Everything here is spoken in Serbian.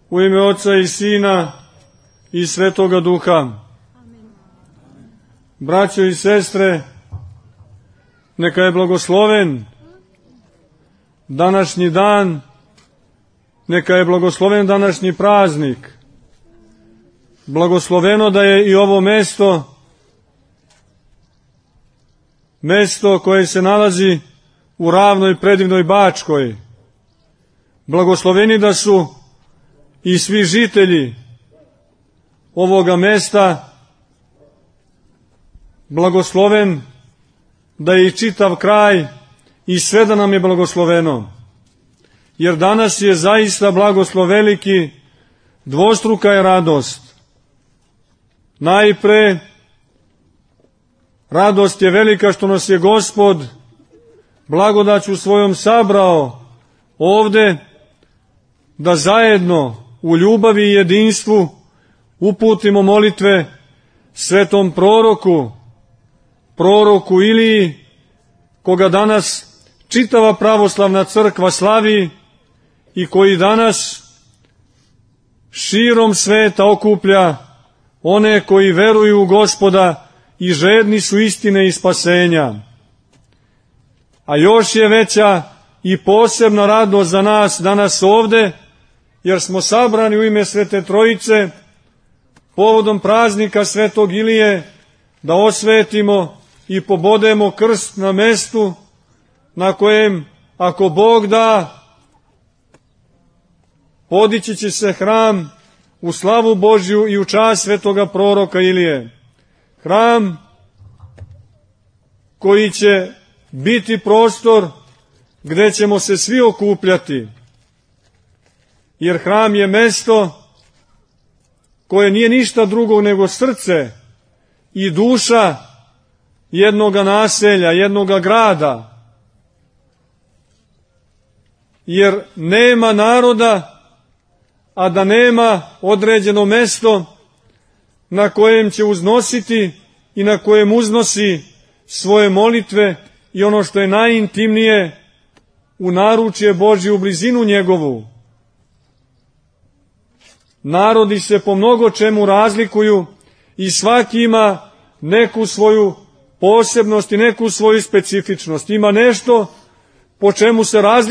U ime Oca i Sina i Svetoga Duha. Braćo i sestre, neka je blagosloven današnji dan, neka je blagosloven današnji praznik. Blagosloveno da je i ovo mesto koje se nalazi u ravnoj predivnoj Bačkoj. Blagosloveni da su i svi žitelji ovoga mesta, blagosloven da je i čitav kraj i sve da nam je blagosloveno. Jer danas je zaista blagoslov veliki, dvostruka je radost. Najpre, radost je velika što nas je Gospod blagodaću svojom sabrao ovde da zajedno u ljubavi i jedinstvu uputimo molitve svetom proroku Iliji, koga danas čitava pravoslavna crkva slavi i koji danas širom sveta okuplja one koji veruju u Gospoda i žedni su istine i spasenja. A još je veća i posebna radost za nas danas ovde, jer smo sabrani u ime Svete Trojice povodom praznika Svetog Ilije da osvetimo i pobodemo krst na mestu na kojem, ako Bog da, podići će se hram u slavu Božju i u čast svetoga proroka Ilije. Hram koji će biti prostor gde ćemo se svi okupljati, jer hram je mesto koje nije ništa drugo nego srce i duša jednoga naselja, jednoga grada. Jer nema naroda, a da nema određeno mesto na kojem će uznositi i na kojem uznosi svoje molitve i ono što je najintimnije, u naručje Božje, u blizinu njegovu. Narodi se po mnogo čemu razlikuju i svaki ima neku svoju posebnost i neku svoju specifičnost. Ima nešto po čemu se razlikuje